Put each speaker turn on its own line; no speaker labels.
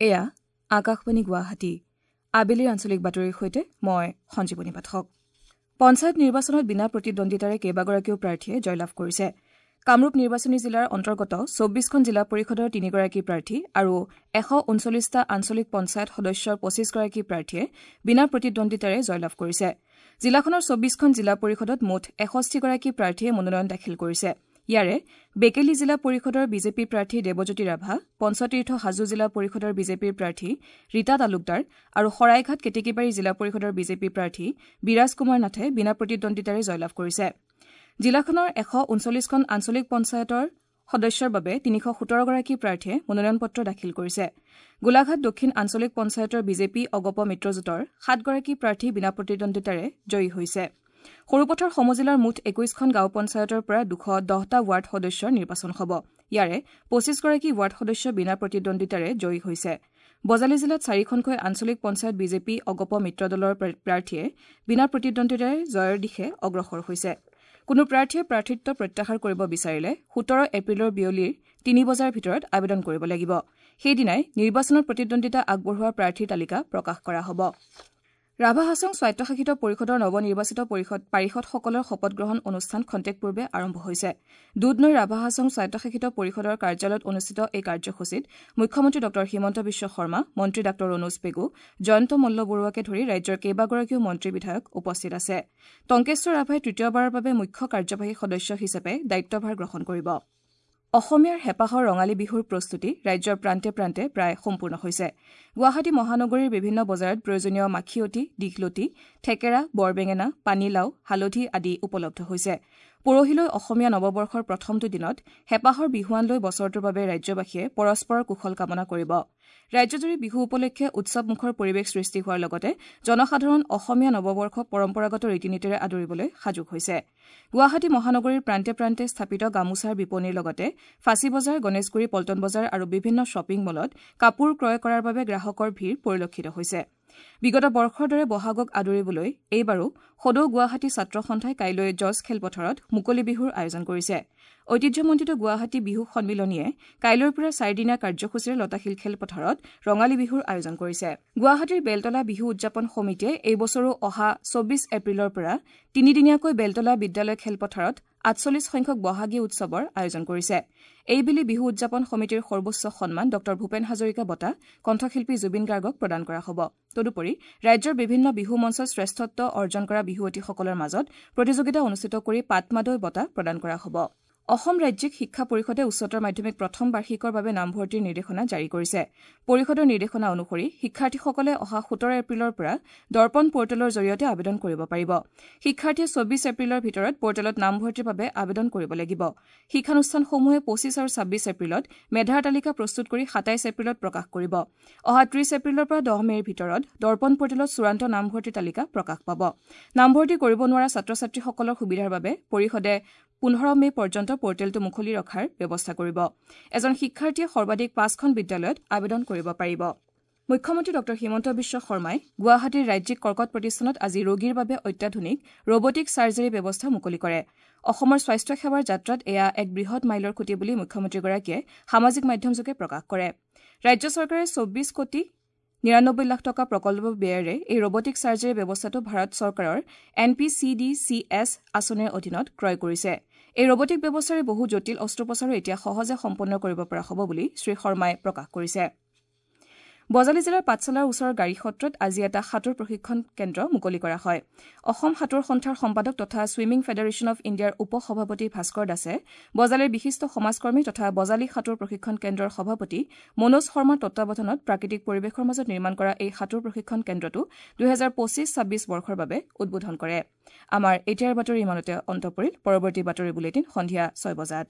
এয়া আকাশবাণী গুৱাহাটী। আবেলিৰ আঞ্চলিক বাতৰিৰ সৈতে মই সঞ্জীৱনী পাঠক। পঞ্চায়ত নিৰ্বাচনত বিনা প্ৰতিদ্বন্দ্বিতাৰে কেইবাগৰাকীও প্ৰাৰ্থীয়ে জয়লাভ কৰিছে। কামৰূপ নিৰ্বাচনী জিলাৰ অন্তৰ্গত ২৪খন জিলা পৰিষদৰ ৩গৰাকী প্ৰাৰ্থী আৰু ১৩৯টা আঞ্চলিক পঞ্চায়ত সদস্যৰ ২৫গৰাকী প্ৰাৰ্থীয়ে বিনা প্ৰতিদ্বন্দ্বিতাৰে জয়লাভ কৰিছে। জিলাখনৰ ২৪খন জিলা পৰিষদত মুঠ ৬১গৰাকী প্ৰাৰ্থীয়ে মনোনয়ন দাখিল কৰিছে। ইয়াৰে বেকেলী জিলা পৰিষদৰ বিজেপি প্ৰাৰ্থী দেৱজ্যোতি ৰাভা, পঞ্চতীৰ্থ হাজো জিলা পৰিষদৰ বিজেপিৰ প্ৰাৰ্থী ৰীতা তালুকদাৰ আৰু শৰাইঘাট কেতেকীবাৰী জিলা পৰিষদৰ বিজেপি প্ৰাৰ্থী বিৰাজ কুমাৰ নাথে বিনা প্ৰতিদ্বন্দ্বিতাৰে জয়লাভ কৰিছে। জিলাখনৰ ১৩৯খন আঞ্চলিক পঞ্চায়তৰ সদস্যৰ বাবে ৩১৭গৰাকী প্ৰাৰ্থীয়ে মনোনয়ন পত্ৰ দাখিল কৰিছে। গোলাঘাট দক্ষিণ আঞ্চলিক পঞ্চায়তৰ বিজেপি অগপ মিত্ৰজোঁটৰ ৭গৰাকী প্ৰাৰ্থী বিনা প্ৰতিদ্বন্দ্বিতাৰে জয়ী হৈছে। সৰুপথাৰ সমজিলাৰ মুঠ ২১খন গাঁও পঞ্চায়তৰ পৰা ২১০টা ৱাৰ্ড সদস্যৰ নিৰ্বাচন হ'ব। ইয়াৰে ২৫গৰাকী ৱাৰ্ড সদস্য বিনা প্ৰতিদ্বন্দ্বিতাৰে জয়ী হৈছে। বজালী জিলাত ৪খনকৈ আঞ্চলিক পঞ্চায়ত বিজেপি অগপ মিত্ৰদলৰ প্ৰাৰ্থীয়ে বিনা প্ৰতিদ্বন্দ্বিতাৰে জয়ৰ দিশে অগ্ৰসৰ হৈছে। কোনো প্ৰাৰ্থীয়ে প্ৰাৰ্থিত্ব প্ৰত্যাহাৰ কৰিব বিচাৰিলে ১৭ এপ্ৰিলৰ বিয়লিৰ ৩ বজাৰ ভিতৰত আবেদন কৰিব লাগিব। সেইদিনাই নিৰ্বাচনত প্ৰতিদ্বন্দ্বিতা আগবঢ়োৱা প্ৰাৰ্থীৰ তালিকা প্ৰকাশ কৰা হ'ব। ৰাভা হাছং স্বায়ত্তশাসিত পৰিষদৰ নৱনিৰ্বাচিত পাৰিষদসকলৰ শপতগ্ৰহণ অনুষ্ঠান খন্তেক পূৰ্বে আৰম্ভ হৈছে। দুধনৈ ৰাভা হাছং স্বায়ত্তশাসিত পৰিষদৰ কাৰ্যালয়ত অনুষ্ঠিত এই কাৰ্যসূচীত মুখ্যমন্ত্ৰী ডঃ হিমন্ত বিশ্ব শৰ্মা, মন্ত্ৰী ডাঃ ৰণোজ পেগু, জয়ন্ত মল্ল বৰুৱাকে ধৰি ৰাজ্যৰ কেইবাগৰাকীও মন্ত্ৰী বিধায়ক উপস্থিত আছে। টংকেশ্বৰ ৰাভাই তৃতীয়বাৰৰ বাবে মুখ্য কাৰ্যবাহী সদস্য হিচাপে দায়িত্বভাৰ গ্ৰহণ কৰিব। অসমীয়াৰ হেঁপাহৰ ৰঙালী বিহুৰ প্ৰস্তুতি ৰাজ্যৰ প্ৰান্তে প্ৰান্তে প্ৰায় সম্পূৰ্ণ হৈছে। গুৱাহাটী মহানগৰীৰ বিভিন্ন বজাৰত প্ৰয়োজনীয় মাখিয়তী, দীঘলতি, থেকেৰা, বৰবেঙেনা, পানীলাও, হালধি আদি উপলব্ধ হৈছে। পৰহিলৈ অসমীয়া নৱবৰ্ষৰ প্ৰথমটো দিনত হেঁপাহৰ বিহুৱান লৈ বছৰটোৰ বাবে ৰাজ্যবাসীয়ে পৰস্পৰৰ কুশল কামনা কৰিব। ৰাজ্যজুৰি বিহু উপলক্ষে উৎসৱমুখৰ পৰিৱেশ সৃষ্টি হোৱাৰ লগতে জনসাধাৰণ অসমীয়া নৱবৰ্ষক পৰম্পৰাগত ৰীতি নীতিৰে আদৰিবলৈ সাজু হৈছে। গুৱাহাটী মহানগৰীৰ প্ৰান্তে প্ৰান্তে স্থাপিত গামোচাৰ বিপণীৰ লগতে ফাঁচী বজাৰ, গণেশগুৰি, পল্টন বজাৰ আৰু বিভিন্ন শ্বপিং মলত কাপোৰ ক্ৰয় কৰাৰ বাবে গ্ৰাহকৰ ভিৰ পৰিলক্ষিত হৈছে। বিগত বৰ্ষৰ দৰে বহাগক আদৰিবলৈ এইবাৰো সদৌ গুৱাহাটী ছাত্ৰ সন্থাই কাইলৈ জজ খেলপথাৰত মুকলি বিহুৰ আয়োজন কৰিছে। ঐতিহ্যমণ্ডিত গুৱাহাটী বিহু সন্মিলনীয়ে কাইলৈৰ পৰা চাৰিদিনীয়া কাৰ্যসূচীৰে লতাশিল খেলপথাৰত ৰঙালী বিহুৰ আয়োজন কৰিছে। গুৱাহাটীৰ বেলতলা বিহু উদযাপন সমিতিয়ে এইবছৰো অহা ২৪ এপ্ৰিলৰ পৰা তিনিদিনীয়াকৈ বেলতলা বিদ্যালয় খেলপথাৰত ৪৮ সংখ্যক বহাগী উৎসৱৰ আয়োজন কৰিছে। এইবেলি বিহু উদযাপন সমিতিৰ সৰ্বোচ্চ সন্মান ডঃ ভূপেন হাজৰিকা বঁটা কণ্ঠশিল্পী জুবিন গাৰ্গক প্ৰদান কৰা হ'ব। তদুপৰি ৰাজ্যৰ বিভিন্ন বিহু মঞ্চত শ্ৰেষ্ঠত্ব অৰ্জন কৰা বিহুৱতীসকলৰ মাজত প্ৰতিযোগিতা অনুষ্ঠিত কৰি পাটমাদৈ বঁটা প্ৰদান কৰা হ'ব। অসম ৰাজ্যিক শিক্ষা পৰিষদে উচ্চতৰ মাধ্যমিক প্ৰথম বাৰ্ষিকৰ বাবে নামভৰ্তিৰ নিৰ্দেশনা জাৰি কৰিছে। পৰিষদৰ নিৰ্দেশনা অনুসৰি শিক্ষাৰ্থীসকলে অহা ১৭ এপ্ৰিলৰ পৰা দৰ্পণ পৰ্টেলৰ জৰিয়তে আবেদন কৰিব পাৰিব। শিক্ষাৰ্থীয়ে ২৪ এপ্ৰিলৰ ভিতৰত পৰ্টেলত নামভৰ্তিৰ বাবে আবেদন কৰিব লাগিব। শিক্ষানুষ্ঠানসমূহে ২৫ আৰু ২৬ এপ্ৰিলত মেধাৰ তালিকা প্ৰস্তুত কৰি ২৭ এপ্ৰিলত প্ৰকাশ কৰিব। অহা ৩০ এপ্ৰিলৰ পৰা ১০ মে'ৰ ভিতৰত দৰ্পণ পৰ্টেলত চূড়ান্ত নামভৰ্তিৰ তালিকা প্ৰকাশ পাব। নামভৰ্তি কৰিব নোৱাৰা ছাত্ৰ ছাত্ৰীসকলৰ সুবিধাৰ বাবে পৰিষদে ১৫ মে' পৰ্যন্ত পৰ্টেলটো মুকলি ৰখাৰ ব্যৱস্থা কৰিব। এজন শিক্ষাৰ্থীয়ে সৰ্বাধিক ৫খন বিদ্যালয়ত আবেদন কৰিব পাৰিব। মুখ্যমন্ত্ৰী ডঃ হিমন্ত বিশ্ব শৰ্মাই গুৱাহাটীৰ ৰাজ্যিক কৰ্কট প্ৰতিষ্ঠানত আজি ৰোগীৰ বাবে অত্যাধুনিক ৰবটিক চাৰ্জাৰী ব্যৱস্থা মুকলি কৰে। অসমৰ স্বাস্থ্য সেৱাৰ যাত্ৰাত এয়া এক বৃহৎ মাইলৰ খুঁটি বুলি মুখ্যমন্ত্ৰীগৰাকীয়ে সামাজিক মাধ্যমযোগে প্ৰকাশ কৰে। ৰাজ্য চৰকাৰে ২৪ কোটি ৯৯ লাখ টকা প্ৰকল্প ব্যয়েৰে এই ৰবটিক চাৰ্জাৰী ব্যৱস্থাটো ভাৰত চৰকাৰৰ N P C D C S আঁচনিৰ অধীনত ক্ৰয় কৰিছে। এই ৰবটিক ব্যৱস্থাৰে বহু জটিল অস্ত্ৰোপচাৰো এতিয়া সহজে সম্পন্ন কৰিব পৰা হ'ব বুলি শ্ৰী শৰ্মাই প্ৰকাশ কৰিছে। বজালী জিলাৰ পাঠশালাৰ ওচৰৰ গাড়ী সত্ৰত আজি এটা সাঁতোৰ প্ৰশিক্ষণ কেন্দ্ৰ মুকলি কৰা হয়। অসম সাঁতোৰ সন্থাৰ সম্পাদক তথা ছুইমিং ফেডাৰেশ্যন অৱ ইণ্ডিয়াৰ উপ সভাপতি ভাস্কৰ দাসে বজালীৰ বিশিষ্ট সমাজকৰ্মী তথা বজালী সাঁতোৰ প্ৰশিক্ষণ কেন্দ্ৰৰ সভাপতি মনোজ শৰ্মাৰ তত্বাৱধানত প্ৰাকৃতিক পৰিৱেশৰ মাজত নিৰ্মাণ কৰা এই সাঁতোৰ প্ৰশিক্ষণ কেন্দ্ৰটো ২০২৫-২৬ বৰ্ষৰ বাবে উদ্বোধন কৰে। আমাৰ এতিয়াৰ বাতৰি ইমানতে অন্ত পৰিল। পৰৱৰ্তী বাতৰি বুলেটিন সন্ধিয়া ৬ বজাত।